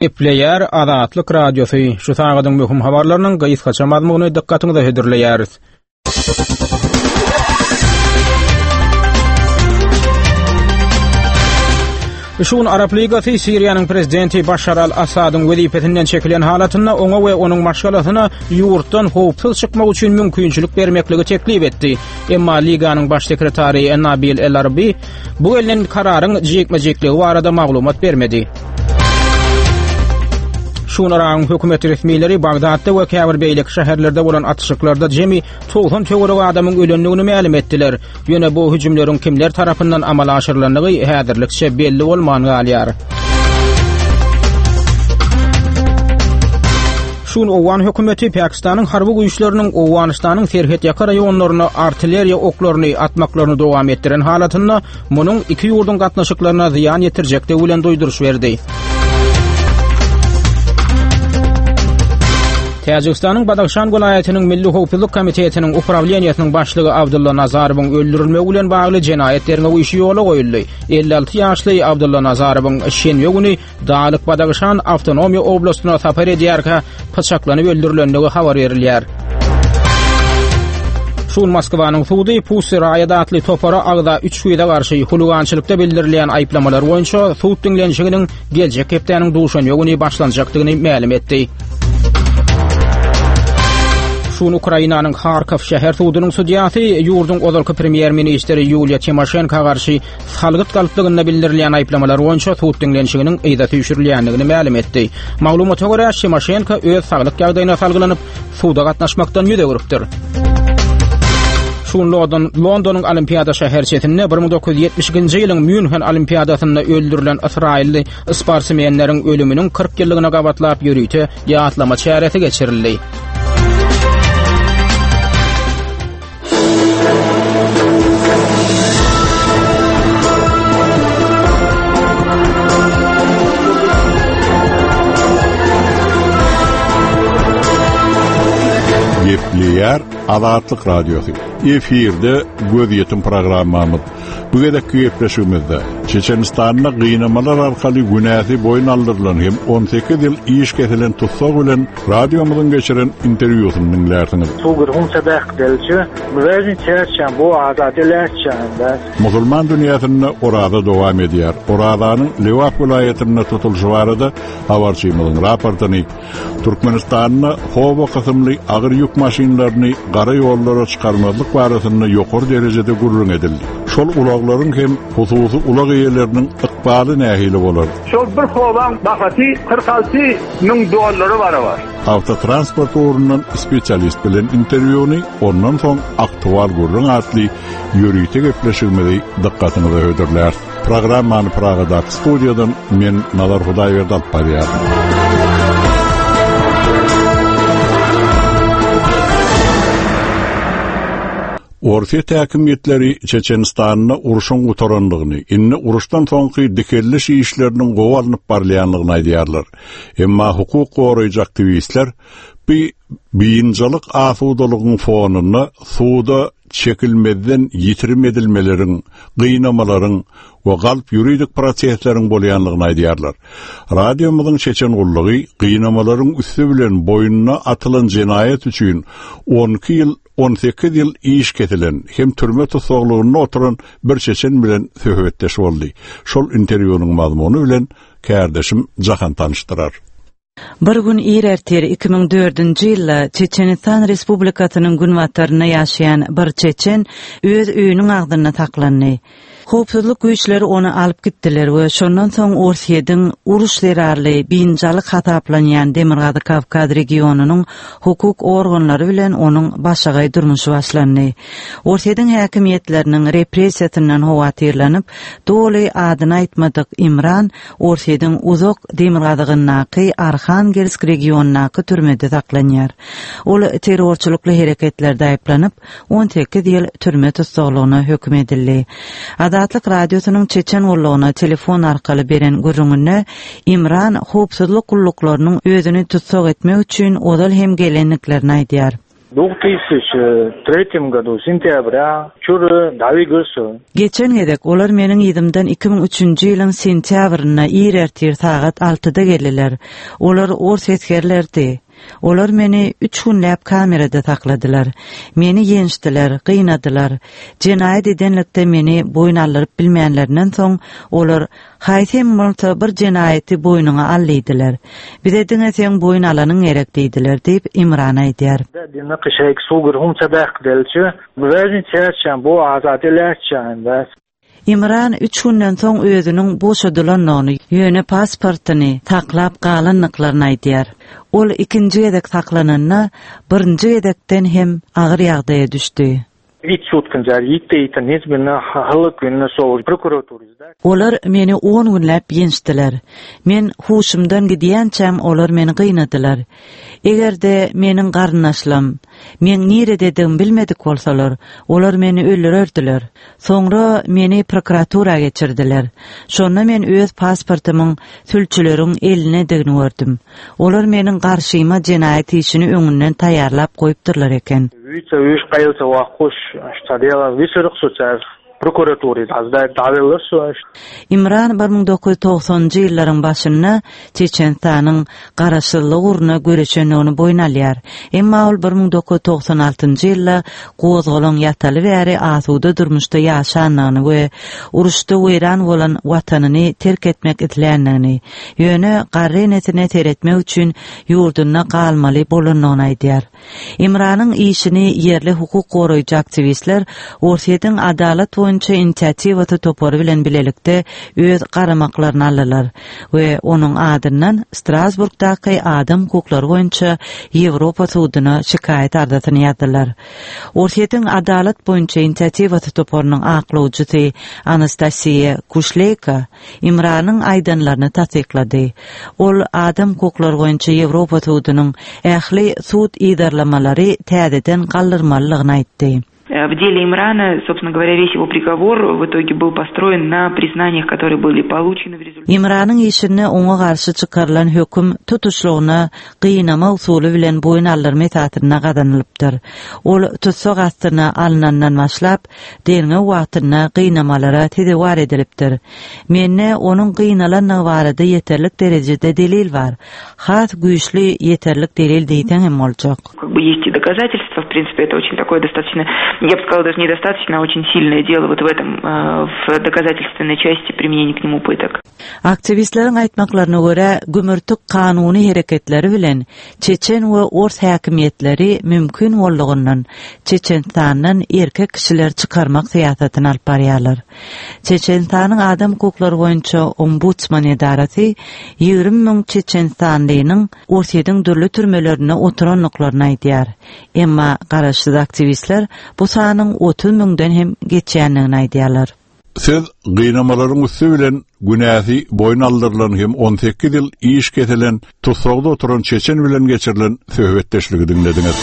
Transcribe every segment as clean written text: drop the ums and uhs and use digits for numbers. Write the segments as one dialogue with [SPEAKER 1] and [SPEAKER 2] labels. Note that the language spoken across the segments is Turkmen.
[SPEAKER 1] Gepleýär Azatlyk Radiosy, şu sagadyň möhüm habarlarynyň gysgaça mazmunyny dykgatyňyza hödürleýäris. Şu gün Arap Ligasy Siriýanyň prezidenti Başar al-Assadyň wezipesinden çekilen halatynda oňa we onuň maşgalasyna ýurtdan howpsuz çykmak üçin mümkinçilik bermekligi teklip etdi. Emma Liganyň baş sekretary Nabil El-Arbi Bu gelnen kararyň jikme-jikligi barada maglumat bermedi. Şu gün Yragyň hökümet resmileri Bagdatda we käbir beýleki şäherlerde bolan atyşyklarda jemi 90 töweregi adamyň ölendigini mälim etdiler. Ýöne bu hüjümleriň kimler tarapyndan amala aşyrylandygy häzirlikçe belli bolman galýar. Şu gün owgan hökümeti Pakistanyň harby güýçleriniň Owganystanyň serhetýaka raýonlaryna artilleriýa oklaryny atmaklaryny dowam etdiren halatynda munuň iki ýurduň gatnaşyklaryna zyýan ýetirjekdigi bilen duýduryş berdi. Täjigistanyň Badahşan welaýatynyň Milli howpsuzlyk komitetiniň uprawleniýesiniň başlygy Abdulla Nazarowyň öldürilmegi bilen bagly jenaýat derňew işi ýola goýuldy. 56 ýaşly Abdulla Nazarowyň şenbe güni Daglyk Badagşan awtonomiýa oblastyna sapar edýärkä pyçaklanyp öldürilendigi habar berilýär. Şu gün Moskwanyň sudy Pussy Riot atly topara agza üç gyza garşy huligançylykda bildirilýän aýyplamalar boýunça sud diňlenişiginiň geljek hepdäniň duşenbe güni başlanjakdygyny mälim etdi. Şu gün Ukrainanyň Harkow şäher sudunyň sudýasy ýurduň ozalky premýer-ministri Ýuliýa Timoşenko garşy Salgyt galplygynda bildirilýän aýyplamalar boýunça sud diňlenişiginiň yza süýşürilýändigini mälim etdi. Maglumata görä, Timoşenko öz saglyk ýagdaýyna salgylanyp, suda gatnaşmakdan ýüz öwrüpdir. Şu gün London, Londonyň Olimpiada şäherçesinde 1972-nji ýylyň Mýunhen Olimpiadasynda öldürilen ysraýylly sportsmenleriň ölüminiň 40 ýyllygyna gabatlap ýörite ýatlama çäresi geçirildi.
[SPEAKER 2] Gepleýär Azatlyk Radiosy. Efirde gözýetim programmamyz. Bu gezekki gepleşigimizde Çeçenistanda gynamalar arkaly günäsi boýun aldyrylan hem 18 ýyl iş kesilen tussag bilen Radiomyzyň geçiren interwýusyny diňlärsiňiz. Musulman dünýäsinde oraza dowam edýär. Orazanyň Lebap welaýatynda tutulyşy barada habarçymyzyň raportyny, Türkmenistanda Howo kysymly agyr ýük maşynlaryny gara ýollara çykarmazlyk barasynda ýokary derejede gürrüň edildi. Şol ulaglaryň hem hususy ulag eýeleriniň ykbaly nähili bolar?
[SPEAKER 3] Şol bir howaň bahasy 46 müň dollara barabar.
[SPEAKER 2] Awtotransport ugrundan spesialist bilen interwýuny, ondan soň Aktual gürrüň atly ýörite gepleşigimizi dykgatyňyza hödürläris. Programmany Pragadaky studiýadan men Nazar Hudaýberdi alyp barýaryn. Orsýet häkimiýetleri Çeçenistanda urşuň gutarandygyny, indi uruşdan soňky dikeldiş işleriniň gowy alnyp barylýandygyny aýdýarlar. Emma hukuk goraýjy aktiwistler bu biynjalyk asudalygyň fonunda suda çekilmezden ýitirim edilmeleriň, gynamalaryň we galp ýuridik prosesleriň bolýandygyny aýdýarlar. Radiomyzyň çeçen gullugy gynamalaryň üsti bilen boýnuna atylan jenaýat üçin 12 ýyl 18 ýyl iş kesilen hem türme tussaglygynda oturan bir çeçen bilen söhbetdeş boldy. Şol interwýunyň mazmuny bilen kärdeşim Jahan tanyşdyrar.
[SPEAKER 4] Bir gün ir ertir 2004-nji ýylda Çeçenistan Respublikasynyň günbatarynda ýaşaýan bir çeçen öz öýüniň agzynda saklandy. Howpsuzlyk güýçleri ony alyp gitdiler we şondan soň Orsýetiň uruş zerarly biynjalyk hasaplanýan Demirgazyk Kawkaz regionynyň hukuk organlary bilen onuň başagaý durmuşy başlandy. Orsýetiň häkimiýetleriniň repressiýasyndan howatyrlanyp, doly adyny aýtmadyk Imran Orsýetiň uzak demirgazygyndaky Arhangelsk regionyndaky türmede saklanýar. Ol terrorçylykly hereketlerde aýyplanyp, 18 ýyl türme tussaglygyna höküm edildi. Azatlyk Radiosynyň Çeçen gullugyna telefon arkaly beren gürrüňinde Imran howpsuzlyk gulluklarynyň özüni tussag etmek üçin ozal hem gelendiklerini aýdýar.
[SPEAKER 5] Dwutysyçy tretýem godu sentýabrýa çüri dawigysy.
[SPEAKER 4] Geçen gezek olar meniň yzymdan 2003-nji ýylyň sentýabrynda ir ertir sagat altyda geldiler. Olar ors esgerleridi. Olar meni üç günläp kamerada sakladylar. Meni ýençdiler, gynadylar. Jenaýat edenlikde meni boýun aldyryp bilmänlerinden soň, olar, Haýsy hem bolsa bir jenaýaty boýnuňa al diýdiler. Bize diňe seň boýun alanyň gerek diýdiler diýip, Imran aýdýar. Imran üç günden soň özüniň boşadylandygyny, ýöne pasportyny saklap galandyklaryny aýdýar. Ol ikinji gezek saklananda, birinji gezekden hem agyr ýagdaýa düşdi. Olar meni on günläp ýençdiler. Men huşumdan gidýänçäm olar meni gynadylar. Eger-de meniň garyndaşlam meň nirededigimi bilmedik bolsalar, olar meni öldürerdiler. Soňra meni prokuratura geçirdiler. Şonda men öz pasportymyň sülçüleriň elindedigini gördüm. Olar meniň garşyma jenaýat işini öňünden taýýarlap goýupdyrlar eken. Imran 1990-njy ýyllaryň başynda Çeçenistanyň garaşsyzlygy ugrunda göreşendigini boýun alýar. Emma ol 1996-njy ýylda gozgalaň ýataly bäri asuda durmuşda ýaşandygyny we uruşda weýran bolan watanyny terk etmek isländigini, ýöne garry enesine seretmek üçin ýurdunda galmaly bolandygyny aýdýar. Imranyň işini ýerli hukuk goraýjy aktiwistler Orsýetiň Adalat boýunça inisiatiwasy topary bilen bilelikde öz garamaklaryna aldylar we onuň adyndan Strasburgdaky Adam hukuklary boýunça Ýewropa suduna şikaýat arzasyny ýazdylar. Orsýetiň Adalat boýunça inisiatiwasy toparynyň aklawjysy Anastasiýa Kuşleýko Imranyň aýdanlaryny tassyklady. Ol Adam hukuklary boýunça Ýewropa sudunyň ähli sud yzarlamalary täzeden galdyrmalydygyny aýtdy.
[SPEAKER 6] W деле Имрана, собственно говоря, весь его приговор в итоге был построен на признаниях, которые были получены в результате.
[SPEAKER 4] Imranyň işinde oňa garşy çykarylan höküm tutuşlygyna gynama usuly bilen boýun aldyrma esasynda gazanylypdyr. Ol tussag astyna alnandan başlap, derňew wagtynda gynamalara sezewar edilipdir. Mende onuň gynalandygy barada ýeterlik derejede delil bar. Has güýçli ýeterlik delil diýseň hem boljak.
[SPEAKER 6] Как бы есть и доказательства, в принципе, это очень такое достаточно, я бы сказала, даже недостаточно, а очень сильное дело вот в этом, в доказательственной части применения к нему пыток.
[SPEAKER 4] Aktiwistleriň aýtmaklaryna görä, gümürtik kanuny hereketleri bilen çeçen we ors häkimiýetleri mümkin boldugyndan Çeçenistandan erkek kişileri çykarmak syýasatyny alyp barýarlar. Çeçenistanyň adam hukuklary boýunça ombudsman edarasy 20 müň çeçenistanlynyň Orsýetiň dürli türmelerinde oturandyklaryny aýdýar. Emma garaşsyz aktiwistler bu sanyň 30 müňden hem geçýändigini aýdýarlar.
[SPEAKER 2] Siz gynamalaryň üsti bilen günäsi boýun aldyrylan hem 18 ýyl iş kesilen tussagda oturan çeçen bilen geçirilen söhbetdeşligi diňlediňiz.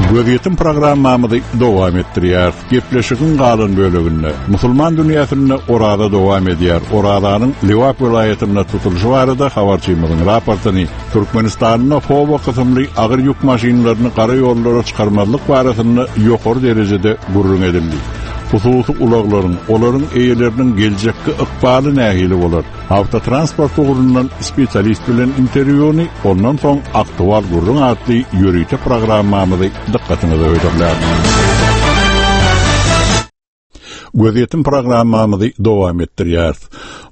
[SPEAKER 2] Gözýetim programmamyzy dowam etdirýäris. Gepleşigiň galan böleginde musulman dünýäsinde oraza dowam edýär. Orazanyň Lebap welaýatynda tutulyşy barada habarçymyzyň raportyny Türkmenistanda Howa kysymly agyr ýük maşynlaryny gara ýollara çykarmazlyk barasynda ýokary derejede gürrüň edildi. Hususy ulaglaryň, olaryň eýeleriniň geljekki ykbaly nähili bolar? Awtotransport ugrundan spesialist bilen interwýuny, ondan soň Aktual gürrüň atly ýörite programmamyzy dykgatyňyza hödürläris. Gözýetim programmamyzy dowam etdirýäris.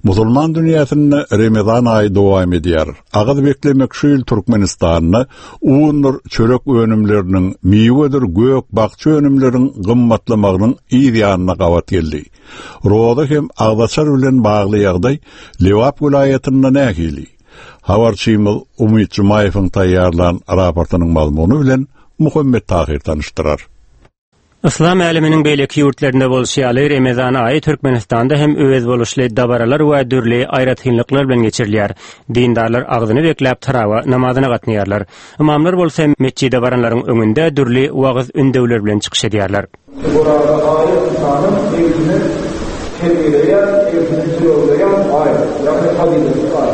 [SPEAKER 2] Musulman dünýäsinde Remezan aýy dowam edýär. Agyz beklemek şu ýyl Türkmenistanda undur çörek önümleriniň, miwedir gök, bakja önümleriň gymmatlamagynyň yz ýanyna gabat geldi. Roza hem agzaçar bilen bagly ýagdaý Lebap welaýatynda nähili? Habarçymyz Umyt Jumaýewiň taýýarlan raportynyň mazmuny bilen Muhammet Tahyr tanyşdyrar.
[SPEAKER 1] Yslam äleminiň beýleki ýurtlarynda bolşy ýaly, Remezan aýy Türkmenistanda hem özboluşly dabaralar we dürli aýratynlyklar bilen geçirilýär. Dindarlar agzyny bekläp tarawa namazyna gatnaýarlar. Ymamlar bolsa metjide baranlaryň öňünde dürli wagyz-ündewler bilen çykyş edýärler.
[SPEAKER 7] Oraza aýy ynsanyň nebsini terbiýeleýän, nebsini jylawlaýan aý, ýagny fazyletli aý.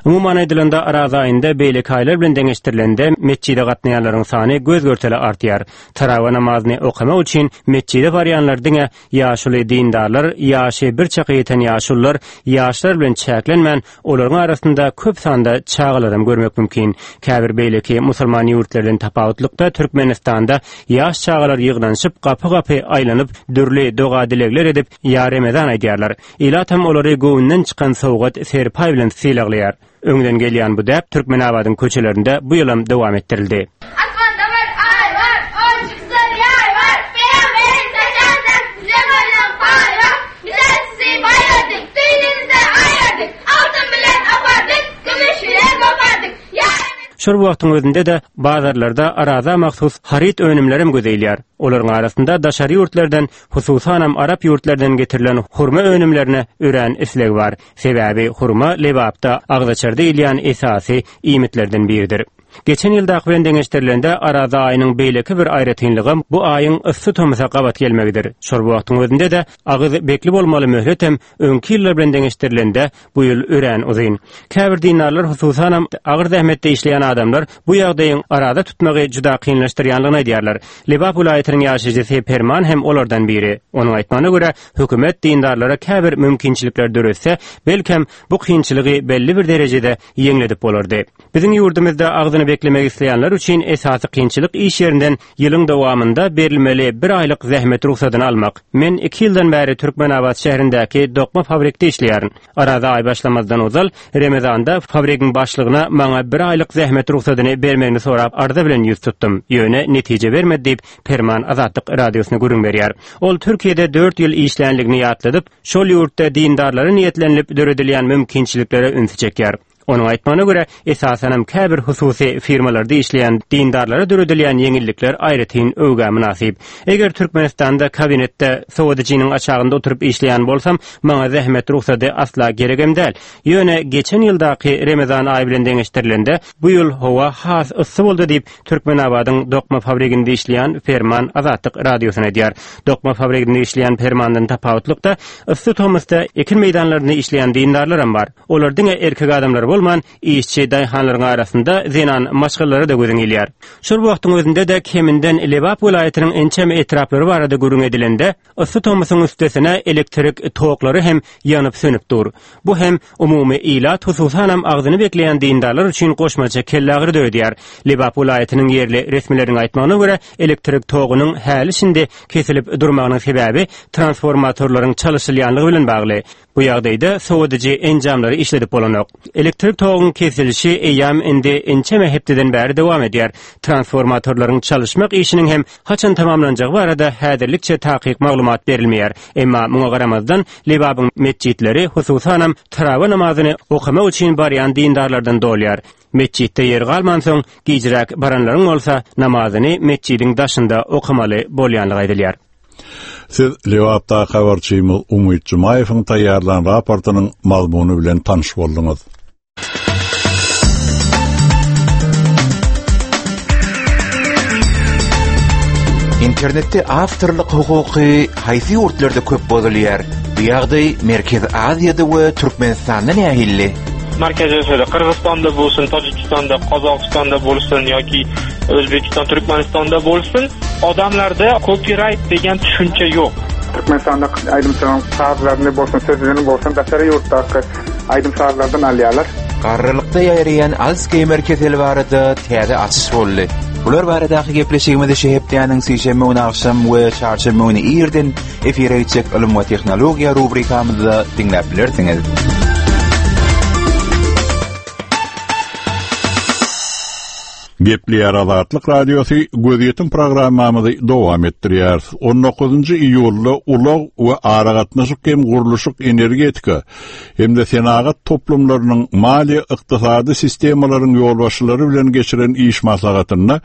[SPEAKER 8] Umuman aýdylanda, Araza aýynda beýleki aýlar bilen deňeşdirilende metjide gatnaýanlaryň sany göz-görtele artýar. Tarawa namazyny okamak üçin metjide barýanlar diňe ýaşuly dindarlar, ýaşy bir çaka ýeten ýaşulular, ýaşlar bilen çäklenmän, olaryň arasynda köp sanda çagalaram görmek mümkin. Käbir beýleki musulman ýurtlardan tapawutlykda Türkmenistanda ýaş çagalar ýygnanyşyp, gapy-gapy aýlanyp, dürli doga-dilegler edip, Ýa Remezan aýdýarlar. Ilatam olary göwünden çykan sowgat, serpaý bilen sylaglaýar. Öňden gelýän bu däp Türkmenabadyň köçelerinde bu ýylam dowam etdirildi.
[SPEAKER 9] Asmanda bir aý bar, on çyksa ýaý bar, Pygamberiň saçagynda bize goýlan paý bar. Bizler sizi baýyrdyk, düýnüňize aýyrdyk, Altyn bilen apardyk, kümüş bilen gopardyk. Ýa
[SPEAKER 8] Şol wagtyň özünde-de bazarlarda Araza mahsus haryt önümlerem göze ilýär. Olaryň arasynda daşary ýurtlardan, hususanam arap ýurtlardan getirilen hurma önümlerine örän isleg bar. Sebäbi hurma Lebapda agzaçar diýilýän esasy iýmitlerden biridir. Geçen ýyldaky bilen deňeşdirilende Araza aýynyň beýleki bir aýratynlygam bu aýyň yssy tomusa gabat gelmegidir. Şol wagtyň özünde-de agyz bekli bolmaly möhletem öňki ýyllar bilen deňeşdirilende bu ýyl örän uzyn. Käbir dindarlar hususanam agyr zähmetde işleýän adamlar bu ýagdaýyň araza tutmagy juda kynlaşdyrýanlygyny aýdýarlar. Lebap welaýatynyň ýaşaýjysy Perman hem olardan biri. Onuň aýtmagyna görä, hökümet dindarlara käbir mümkinçilikler döretse, belkem, bu kynçylygy belli bir derejede ýeňledip bolardy. Biziň ýurdumyzda agzyny beklemek isleýänler üçin esasy kynçylyk iş ýerinden ýylyň dowamynda berilmeli bir aýlyk zähmet rugsadyny almak. Men iki ýyldan bäri Türkmenabat şäherindäki dokma fabrikde işleýärin. Araza aý başlamazdan ozal, Remezanda fabrigiň başlygyna maňa bir aýlyk zähmet rugsadyny bermegini sorap arza bilen ýüz tutdum. Ýöne netije bermedi diýip, Perman Azatlyk Radiosyna gürrüň berýär. Ol Türkiýede dört ýyl işlänligini ýatladyp, şol ýurtda dindarlara niýetlenilip döredilýän mümkinçiliklere ünsi çekýär. Onuň aýtmagyna görä, esasanam käbir hususy firmalarda işleýän dindarlara döredilýän ýeňillikler aýratyn öwgä mynasyp. Eger Türkmenistanda kabinetde sowadyjynyň aşagynda oturyp işleýän bolsam, maňa zähmet rugsady asla geregem däl. Ýöne geçen ýyldaky Remezan aýy bilen deňeşdirilende, bu ýyl howa has yssy boldy diýip, Türkmenabadyň dokma fabriginde işleýän Perman Azatlyk Radiosyna aýdýar. Dokma fabriginde işleýän Permandan tapawutlykda, yssy tomusda ekin meýdanlarynda işleýän dindarlaram bar. Olar diňe erkek adamlar bolman, işçi daýhanlaryň arasynda zenan maşgalalara-da gözüň ilýär. Şol wagtyň özünde-de keminden Lebap welaýatynyň ençeme etraplary barada gürrüň edilende, yssy tomusyň üstesine elektrik toklary hem ýanyp-sönüp dur. Bu hem umumy ilat, hususanam agzyny bekleýän dindarlar üçin goşmaça kellagyry döredýär. Lebap welaýatynyň ýerli resmileriniň aýtmagyna görä, elektrik togunyň häli-şindi kesilip durmagynyň sebäbi transformatorlaryň çalyşylýanlygy bilen bagly. Bu ýagdaýda sowadyjy enjamlary işledip bolanok. Elektrik toguň kesilişi eýýäm indi ençeme hepdeden bäri dowam edýär. Transformatorlaryň çalyşmak işiniň hem haçan tamamlanjagy barada häzirlikçe takyk maglumat berilmeýär. Emma muňa garamazdan, Lebabyň metjitleri, hususanam, tarawa namazyny okamak üçin barýan dindarlardan dolýar. Metjitde ýer galmansoň, gijräk baranlaryň bolsa namazyny metjidiň daşynda okamaly bolýanlygy aýdylýar.
[SPEAKER 2] Siz Lebapdaky habarçymyz Umyt Jumaýewiň taýýarlan raportynyň mazmuny bilen tanyş bolduňyz.
[SPEAKER 10] Internetde awtorlyk hukuky haýsy ýurtlarda köp bozulýar? Bu ýagdaý Merkezi Aziýada we Türkmenistanda nähili?
[SPEAKER 11] Markaziy Osiyoda Qirg'izistonda bo'lsin, Tojikistonda, Qozog'istonda bo'lsin yoki O'zbekiston, Turkmanistonda bo'lsin, odamlarda copyright degan tushuncha yo'q.
[SPEAKER 7] Türkmenistanda aýdymçylaryň sazlaryny bolsun, sözlerini bolsun daşary ýurtdaky aýdym-sazlardan alýarlar.
[SPEAKER 10] Garrylykda ýaýraýan Alsgeýmer keseli barada täze açyş boldy. Bular baradaky gepleşigimizi şu hepdäniň sişenbe güni agşam we çarşenbe güni irden efire gitjek Ylym we tehnologiýa rubrikamyzda diňläp bilersiňiz.
[SPEAKER 2] Gepleýär Azatlyk Radiosy, Gözýetim programmamyzy dowam etdirýäris. 19-njy iýulda ulag we aragatnaşyk hem gurluşyk energetika hem-de senagat toplumlarynyň maliýe-ykdysady sistemalaryň ýolbaşçylary bilen geçiren iş maslahatynda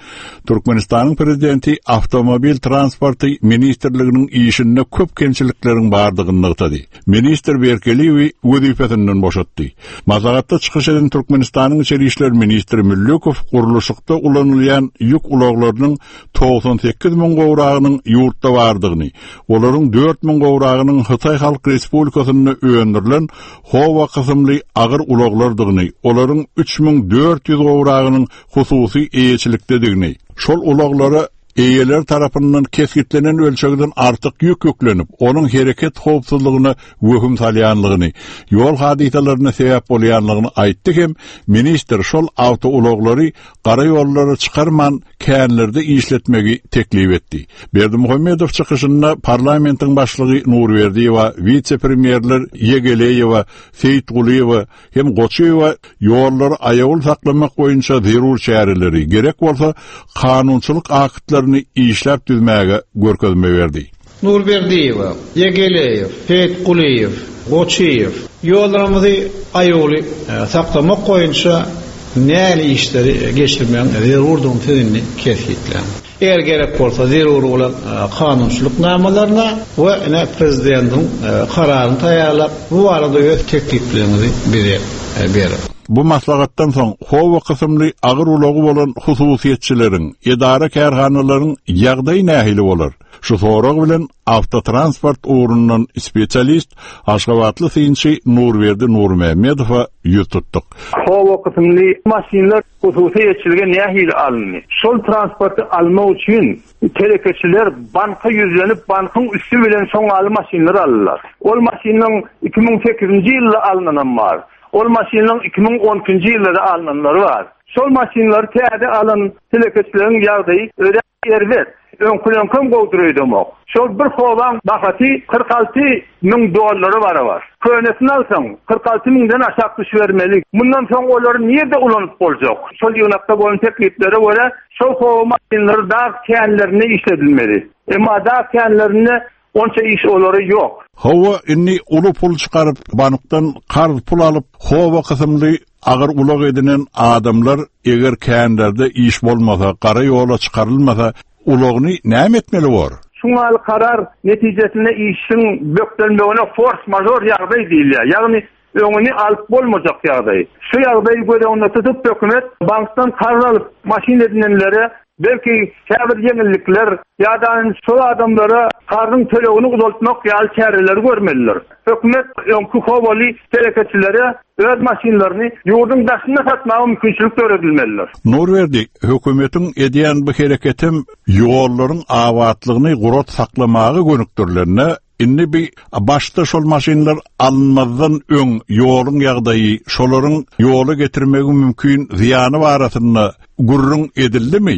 [SPEAKER 2] Türkmenistanyň Prezidenti Awtomobil transporty ministrliginiň işinde köp kemçilikleriň bardygyny nygtady. Ministr Berkeliýewi wezipesinden boşatdy. Maslahatda çykyş eden Türkmenistanyň içeri işler ministri Müllükow gurluşykda. Transportda ulanylýan ýük ulaglarynyň 98 müň gowragynyň ýurtda bardygyny, olaryň 4 müň gowragynyň Hytaý Halk Respublikasynda öndürilen Howa kysymly agyr ulaglardygyny, olaryň 3400 gowragynyň hususy eýeçilikdedigini, şol ulaglara eýeleri tarapyndan kesgitlenen ölçegden artyk ýük ýüklenip, onuň hereket howpsuzlygyna wehim salýanlygyny, ýol hadysalaryna sebäp bolýanlygyny aýtdy hem ministr şol awtoulaglary gara ýollara çykarman känlerde işletmegi teklip etdi. Berdimuhamedow çykyşynda parlamentiň başlygy Nurberdiýewa, wise-premýerler Ýegeleýewa, Seýitgulyýewa hem Goçyýewa ýollary aýawly saklamak boýunça zerur çäreleri, gerek bolsa, kanunçylyk aktlaryny işläp düzmäge görkezme berdi.
[SPEAKER 12] Nurberdiýewa, Ýegeleýew, Seýitgulyýew, Goçyýew ýollarymyzy aýawly saklamak boýunça nähili işleri geçirmegiň zerurdygyny siz indi kesgitläň. Eger gerek bolsa zerur bolan kanunçylyk namalaryna we ine Prezidentiň kararyny taýýarlap, bu barada öz teklipleriňizi bize beriň.
[SPEAKER 2] Bu maslahatdan soň Howa kysymly agyr ulagy bolan hususyýetçileriň, edara-kärhanalaryň ýagdaýy nähili bolar? Şu sorag bilen awtotransport ugrundan spesialist, aşgabatly synçy Nurberdi Nurmämmedowa ýüz tutduk.
[SPEAKER 3] Howa kysymly maşynlar hususy eýeçilige nähili alyndy? Şol transporty almak üçin telekeçiler banka ýüzlenip, bankyň üsti bilen şoňaly maşynlar aldylar. Ol maşynyň 2008-nji ýylda alnanam bar. Ol maşynlaryň 2012-nji ýylda-da alnanlary bar. Şol maşynlary täze alan telekeçileriň ýagdaýy örän Erbet. Öňküleňkem gowudyr öýdemok. Şol bir howaň bahasy 46 müň dollara barabar. Könesini alsaň, 46 müňden aşak düşübermeli. Mundan soň olary nirde ulanyp boljak? Şol ýygnakda bolan tekliplere görä, şol howa maşynlary dag känlerinde işledilmeli. Emma dag känlerinde onça iş olary ýok.
[SPEAKER 2] Hawa, indi uly pul çykaryp, bankdan karz pul alyp, howa kysymly Agyr ulag edinen adamlar eger känlerde iş bolmasa, gara ýola çykarylmasa, ulagyny näme etmeli bor?
[SPEAKER 3] Şuňaly karar netijesinde işiň bökdenmegine fors-mažor ýagdaý diýilýär. Ýagny öňüni alyp bolmajak ýagdaý. Şu ýagdaýy göz öňünde tutup hökümet bankdan karz alyp maşyn edinenlere belki käbir ýeňillikler ýa-da şol adamlara karzyň tölegini uzaltmak ýaly çäreleri görmelidir. Hökümet öňki howaly telekeçilere öz maşynlaryny ýurduň daşynda satmaga mümkinçilik döredilmelidir.
[SPEAKER 2] Nurberdi, hökümetiň edýän bu hereketem ýollaryň abatlygyny gurat saklamaga gönükdirilende, indi bi başda şol maşynlar alynmazdan öň ýoluň ýagdaýy, şolaryň ýola getirmegi mümkin zyýany barasynda gürrüň edildimi?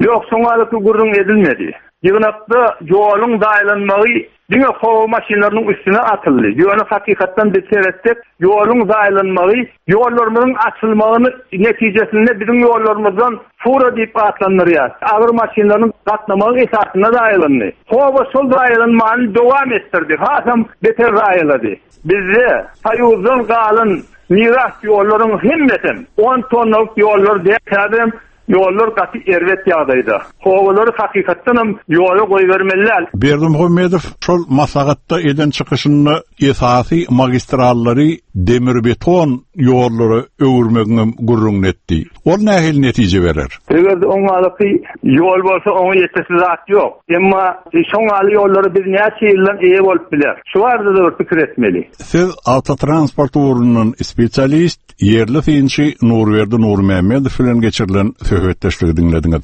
[SPEAKER 3] Ýok, şoňalyky gürrüň edilmedi. Ýygnakda ýoluň zaýalanmagy Diňe howa maşynlarynyň üstüne atyldy. Ýöne hakykatdan biz seretsek, ýoluň zaýalanmagy, ýollarymyzyň açylmagyny netijesinde biziň ýollarymyzdan fura diýip atlandyrýas, agyr maşynlaryň gatnamagy esasynda zaýalandy. Howa şol zaýalanmany dowam etdirdi, hasam beter zaýalady. Bizde Soýuzdan galan miras ýollaryň hemmesem on tonnalyk ýollar däl, häzirem Ýollar gaty erbet ýagdaýda. Howalary hakykatdanam ýola goýbermeli däl.
[SPEAKER 2] Berdimuhamedow şol maslahatda eden çykyşynda esasy magistrallary demir-beton ýollara öwürmegiňem gürrüňini etdi. Ol nähili netije berer?
[SPEAKER 3] Eger-de oňalaky ýol bolsa oňa ýetesi zat ýok. Emma şoňaly ýollara biz näçe ýyldan eýe bolup bileris? Şu barada-da bir pikir etmeli.
[SPEAKER 2] Siz awtotransport ugrundan spesialist, Ýerli synçy Nurberdi Nurmämmedow bilen geçirilen söhbetdeşligi diňlediňiz.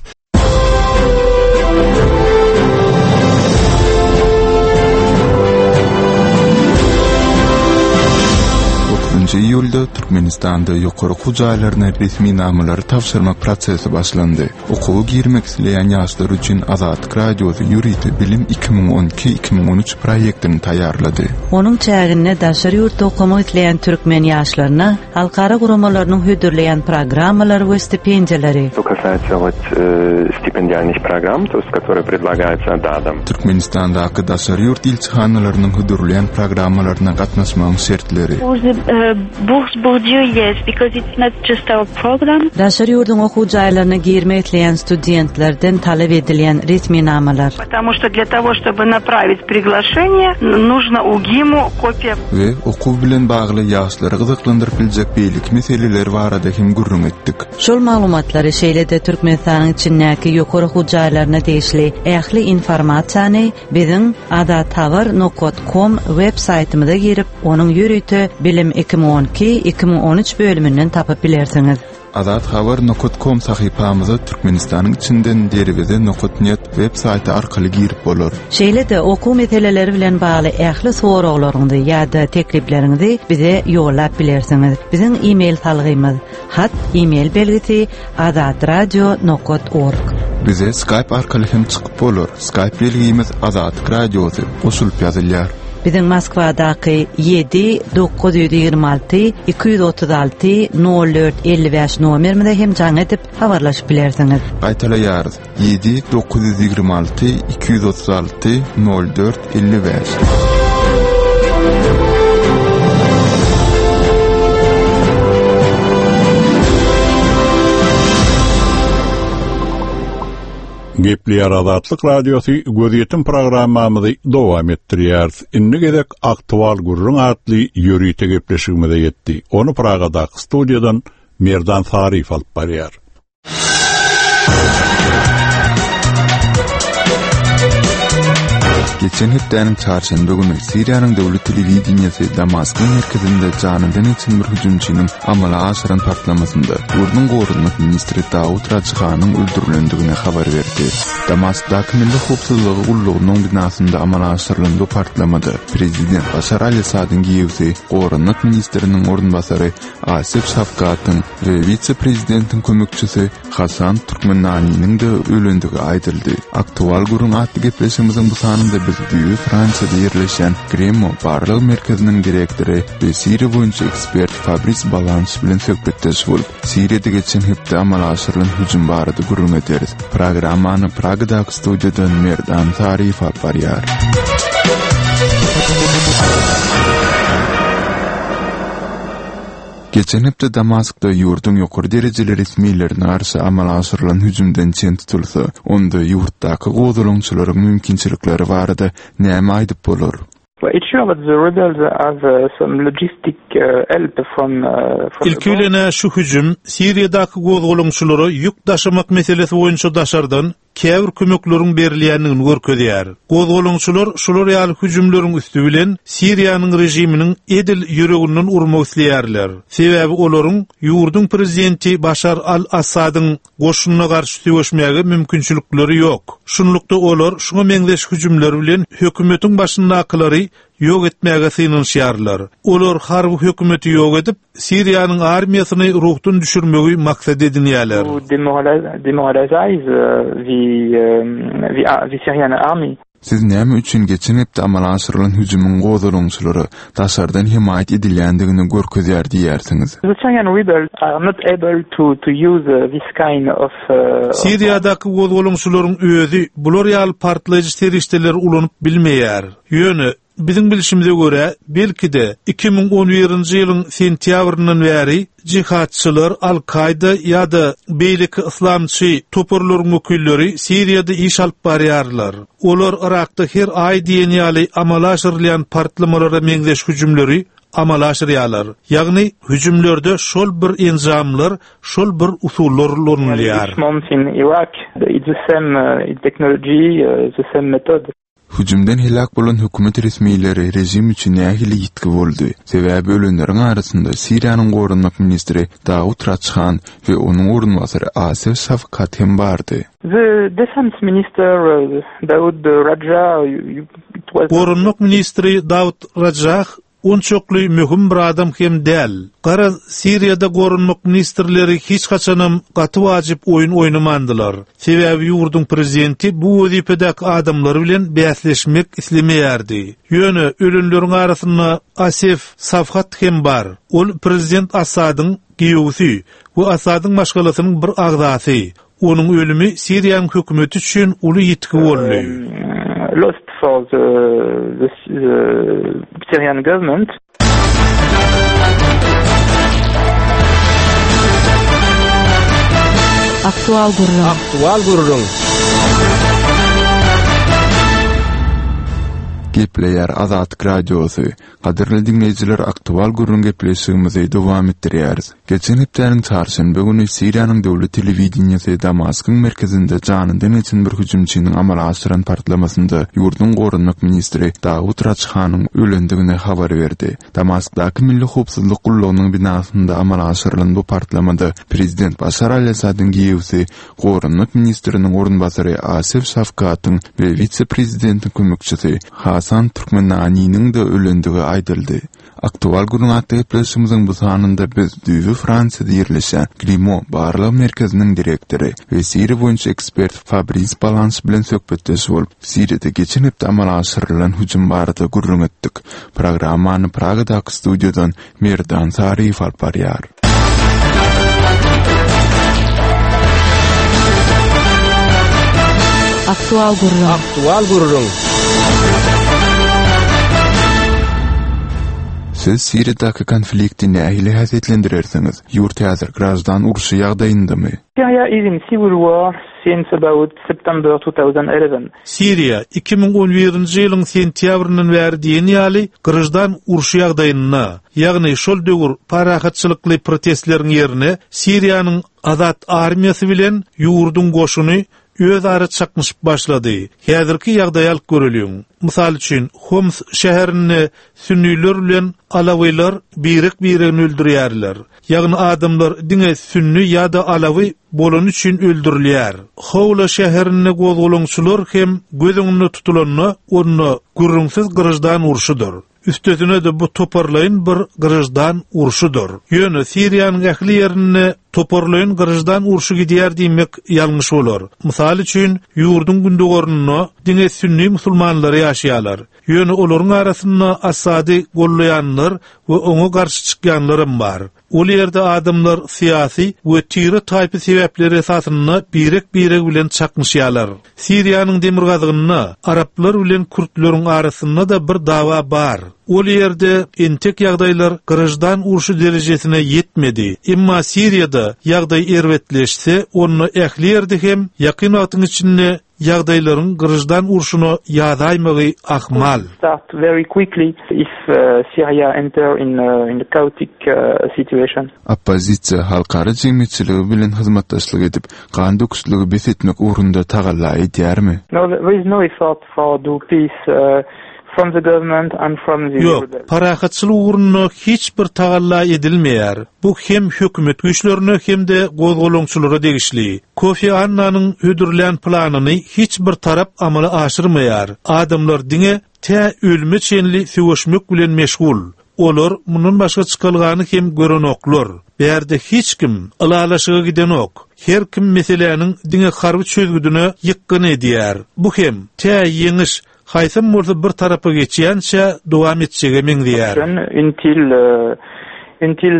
[SPEAKER 10] Otuzynjy iýulda Türkmenistanda ýokary okuw jaýlaryna resminamalary tabşyrmak prosesi başlandy. Okuwa girmek isleýän ýaşlar üçin Azatlyk Radiosy ýörite Bilim 2012, 2013 proýektini taýýarlady.
[SPEAKER 4] Onuň çäginde daşary ýurtda okamak isleýän türkmen ýaşlaryna halkara guramalarynyň hödürleýän programmalary we stipendiýalary,
[SPEAKER 13] Что касается вот стипендиальных программ, то есть которые предлагаются ДАДом.
[SPEAKER 10] Türkmenistandaky daşary ýurt ilçihanalarynyň hödürleýän programmalaryna gatnaşmagyň şertleri.
[SPEAKER 14] Bourse Bourdieu, yes, because it's not just our program.
[SPEAKER 4] Daşary ýurduň okuw jaýlaryna girmek isleýän studentlerden talap edilýän resminamalar.
[SPEAKER 15] Потому что для того, чтобы направить приглашение, нужно УГИМу копия.
[SPEAKER 16] We okuw bilen bagly ýaşlary gyzyklandyryp biljek beýleki meseleler barada hem gürrüň etdik.
[SPEAKER 4] Şol maglumatlary, şeýle-de Türkmenistanyň içindäki ýokary okuw jaýlaryna degişli ähli informasiýany Biziň azathabar nokat kom web saýtymyza girip, onuň ýörite Bilim 2012, 2013 bölüminden tapyp bilersiňiz.
[SPEAKER 16] Azathabar nokat kom sahypamyza Türkmenistanyň içinden derweze nokat net web saýty arkaly girip bolar.
[SPEAKER 4] Şeýle-de okuw meseleleri bilen bagly ähli soraglaryňyzy ýa-da teklipleriňizi bize ýollap bilersiňiz. Biziň e-mail salgymyz, hat e-mail belgisi azatradio nokat org.
[SPEAKER 16] Bize Skype arkaly hem çykyp bolar. Skype belgimiz Azatlyk Radiosy goşulyp ýazylýar.
[SPEAKER 4] Biziň Moskwadaky ýedi 926 236 04 55 nomerimize hem jaň edip habarlaşyp bilersiňiz.
[SPEAKER 16] Gaýtalaýarys, ýedi 926 236 04 55.
[SPEAKER 2] Gepleýär Azatlyk Radiosy gözýetim programmamyzy dowam etdirýäris. Indi gezek Aktual gürrüň atly ýörite gepleşigimize ýetdi. Ony Pragadaky studiýadan Merdan Saryýew alyp barýar.
[SPEAKER 16] Geçen hepdäniň çarşenbe güni Siriýanyň döwlet telewideniýesi Damaskyň merkezinde janyndan geçen bir hüjümçiniň amala aşyran partlamasynda ýurduň goranmak ministri Dawut Rajhanyň öldürilendigini habar berdi. Damaskdaky Milli howpsuzlygy gullugynyň binasynda amala aşyrylan bu partlamada prezident Başar al-Assadyň giýewsi, goranmak ministriniň orunbasary Asef Şafkatyň we wise-prezidentiň kömekçisi Hasan Türkmenaniniň-de ölendigi aýdyldy. Aktual gürrüň atly gepleşigimiziň bu sanynda biz düýbi Fransiýada ýerleşýän Gremo barlag merkeziniň direktory we Siriýa boýunça ekspert Fabris Balanş bilen söhbetdeş bolup, Siriýada geçen hepde amala aşyrylan hüjüm barada gürrüň ederis. Programmany Pragadaky studiýadan Merdan Saryýew alyp barýar. Geçen hepde Damaskda ýurduň ýokary derejeli resmilerine garşy amala aşyrylan hüjümden çen tutulsa, onda ýurtdaky gozgalaňçylaryň mümkinçilikleri barada näme aýdyp bolar?
[SPEAKER 17] Ilki bilen-ä şu hüjüm Siriýadaky gozgalaňçylara ýük daşamak meselesi boýunça daşardan käbir kömekleriň berilýändigini görkezýär. Gozgalaňçylar şular ýaly hüjümleriň üsti bilen Siriýanyň režiminiň edil ýüreginden urmak isleýärler. Sebäbi olaryň ýurduň prezidenti Başar al-Assadyň goşunyna garşy söweşmäge mümkinçilikleri ýok. Şunlukda olar şuňa meňzeş hüjümler bilen hökümetiň başyndakylary ýok etmäge synanyşýarlar. Olar harby hökümeti ýok edip, Siriýanyň armiýasyny ruhdan düşürmegi maksat edinýärler.
[SPEAKER 16] Siz näme üçin geçen hepde amala aşyrylan hüjümiň gozgalaňçylara daşardan hemaýat edilýändigini görkezýär diýýärsiňiz?
[SPEAKER 17] Siriýadaky gozgalaňçylaryň özi bular ýaly partlaýjy serişdeleri ulanyp bilmeýär. Ýöne, biziň bilşimize görä, belki-de, 2011-nji ýylyň sentýabryndan bäri jihadçylar, Al-Kaýda ýa-da beýleki yslamçy toparlaryň wekilleri Siriýada iş alyp barýarlar. Olar Yrakda her aý diýen ýaly amala aşyrylýan partlamalara meňzeş hüjümleri amala aşyrýarlar. Ýagny, hüjümlerde şol bir enjamlar, şol bir usullar ulanylýar.
[SPEAKER 16] Hüjümden heläk bolan hökümet resmileri režim üçin nähili ýitgi boldy? Sebäbi ölenleriň arasynda Siriýanyň goranmak ministri Dawut Raçhan we onuň orunbasary Asef Şafkat hem bardy.
[SPEAKER 11] The defense minister Daud Rajah it was.
[SPEAKER 17] Goranmak ministri Dawut Rajah Onçakly möhüm bir adam hem däl. Garaz, Siriýada goranmak ministrleri hiç haçanam gaty wajyp oýun oýnamandylar. Sebäbi ýurduň prezidenti bu wezipedäki adamlar bilen bäsleşmek islemeýärdi. Ýöne ölenleriň arasynda Asef Safhat hem bar. Ol prezident Assadyň giýewsi we Assadyň maşgalasynyň bir agzasy. Onuň ölümi Siriýanyň hökümeti üçin uly ýitgi boldy.
[SPEAKER 11] Lost for the the Syrian government.
[SPEAKER 18] Aktual gürrüň.
[SPEAKER 1] Aktual gürrüň.
[SPEAKER 16] Gepleýär Azatlyk Radiosy. Gadyrly diňleýjiler aktual gürrüň gepleşigimizi dowam etdirýäris. Geçen hepdäniň çarşenbe güni Siriýanyň döwlet telewideniýesi Damaskyň merkezinde janyndan geçen bir hüjümçiniň amala aşyran partlamasynda ýurduň goranmak ministri Dawut Rajhanyň ölendigini habar berdi. Damaskdaky Milli howpsuzlyk gullugynyň binasynda amala aşyrylan bu partlamada prezident Başar al-Assadyň giýewsi, goranmak ministriniň orunbasary Asef Şafkatyň we wise-prezidentiň kömekçisi Hasan Türkmenaniniň-de ölendigi aýdyldy. Aktual gürrüň atly gepleşigimiziň bu sanynda biz düýbi Fransiýada ýerleşýän Grimo barlag merkeziniň direktory we Siriýa boýunça ekspert Fabris Balanş bilen söhbetdeş bolup, Siriýada geçen hepde amala aşyrylan hüjüm barada gürrüň etdik. Programmany Pragadaky studiýadan Merdan Saryýew alyp barýar.
[SPEAKER 18] Aktual gürrüň.
[SPEAKER 1] Aktual gürrüň.
[SPEAKER 16] Siz Siriýadaky konflikti nähili häsiýetlendirersiňiz? Ýurt häzir graždan urşy ýagdaýyndamy?
[SPEAKER 11] Syria is in civil war since about September 2011.
[SPEAKER 17] Siriýa 2011-nji ýylyň sentýabryndan bäri diýen ýaly graždan urşy ýagdaýynda, ýagny şol döwür parahatçylykly protestleriň ýerine Siriýanyň Azat armiýasy bilen ýurduň goşuny özara çaknyşyp başlady. Häzirki ýagdaýy alyp göreliň. Mysal üçin, Homs şäherinde sünniler bilen alawylar birek-biregini öldürýärler. Ýagny adamlar diňe sünni ýa-da alawy bolany üçin öldürilýär. Howla şäherinde gozgalaňçylar hem göz öňünde tutulanda, onda gürrüňsiz graždan urşudyr. Üstesine-de bu toparlaýyn bir graždan urşudyr. Ýöne Siriýanyň ähli ýerinde toparlaýyn graždan urşy gidýär diýmek ýalňyş bolar. Mysal üçin, ýurduň gündogarynda diňe sünni musulmanlary ýaşaýarlar. Ýöne olaryň arasynda Assady gollaýanlar we oňa garşy çykýanlaram bar. Ol ýerde adamlar syýasy we tire-taýpa sebäpleri esasynda birek-biregi bilen çaknyşýarlar. Siriýanyň demirgazygynda araplar bilen kürtleriň arasynda-da bir dawa bar. Ol ýerde entek ýagdaýlar graždan urşy derejesine ýetmedi. Emma Siriýada ýagdaý erbetleşse, onda ähli ýerde hem ýakyn wagtyň içinde ýagdaýlaryň graždan urşuna ýazaýmagy ahmal.
[SPEAKER 11] Start very quickly if Syria enter in a chaotic situation.
[SPEAKER 16] Oppozisiýa halkara jemgyýetçiligi bilen hyzmatdaşlyk edip, gan döküşligi bes etmek ugrunda tagalla edýärmi?
[SPEAKER 11] No, there is no effort for do peace from the government and from the
[SPEAKER 17] Ýok,
[SPEAKER 11] rebels.
[SPEAKER 17] parahatçylyk ugrunda hiç bir tagalla edilmeýär. Bu hem hökümet güýçlerine hem-de gozgalaňçylara degişli. Kofi Annanyň hödürlän planyny hiç bir tarap amala aşyrmaýar. Adamlar diňe tä ölüme çenli söweşmek bilen meşgul. Olar mundan başga çykalgany hem görenoklar. Bärde hiç kim ylalaşyga gidenok. Her kim meseläniň diňe harby çözgüdine ýykgyn edýär. Bu hem tä ýeňiş haýsam bolsa bir tarapa geçýänçä dowam etjege meňzeýär.
[SPEAKER 11] Until until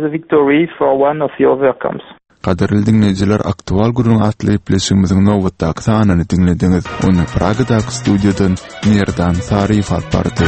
[SPEAKER 11] the victory for one of the other comes.
[SPEAKER 16] Gadyrly diňleýjiler Aktual gürrüň atly gepleşigimiziň nobatdaky sanyny diňlediňiz. Ony Pragadaky studiýadan Merdan Saryýew alyp bardy.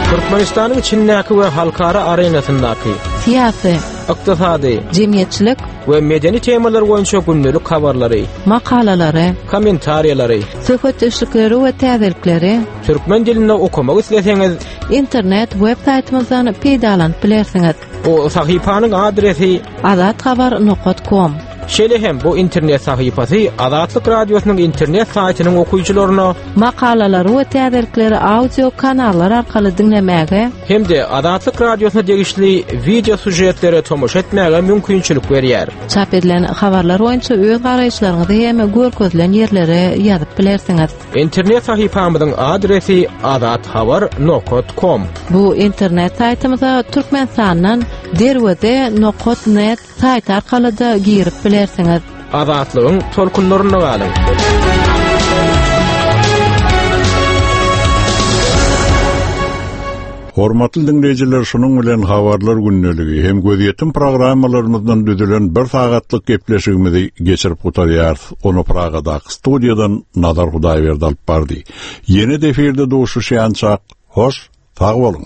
[SPEAKER 1] Türkmenistanyň içindäki we halkara arenasyndaky
[SPEAKER 18] syýasy,
[SPEAKER 1] ykdysady,
[SPEAKER 18] jemgyýetçilik
[SPEAKER 1] we medeni temalar boýunça gündelik habarlary,
[SPEAKER 18] makalalary,
[SPEAKER 1] kommentariýalary,
[SPEAKER 18] söhbetdeşlikleri we täzelikleri
[SPEAKER 1] türkmen dilinde okamak isleseňiz,
[SPEAKER 18] internet web saýtymyzdan peýdalanyp bilersiňiz.
[SPEAKER 1] Bu sahypanyň adresi
[SPEAKER 18] azathabar nokat kom.
[SPEAKER 1] Şeýle hem bu internet sahypasy Azatlyk Radiosynyň internet saýtynyň okyjylaryna
[SPEAKER 18] makalalary we täzelikleri audio kanallar arkaly diňlemäge
[SPEAKER 1] hem-de Azatlyk Radiosyna degişli wideo sýužetlere tomaşa etmäge mümkinçilik berýär.
[SPEAKER 18] Çap edilen habarlar boýunça öz garaýyşlaryňyzy hem görkezilen ýerlere ýazyp bilersiňiz.
[SPEAKER 1] Internet sahypamyzyň adresi azathabar nokat kom.
[SPEAKER 18] Bu internet saýtymyza Türkmenistandan Derweze nokat net saýty arkaly-da girip bilersiňiz.
[SPEAKER 1] Azatlygyň tolkunlarynda galyň!
[SPEAKER 2] Hormatly diňleýjiler, şunuň bilen Habarlar gündeligi hem Gözýetim programmalarymyzdan düzülen bir sagatlyk gepleşigimizi geçirip gutarýarys. Ony Pragadaky studiýadan Nazar Hudaýberdi alyp bardy. Ýene-de efirde duşuşýançak, hoş, sag boluň!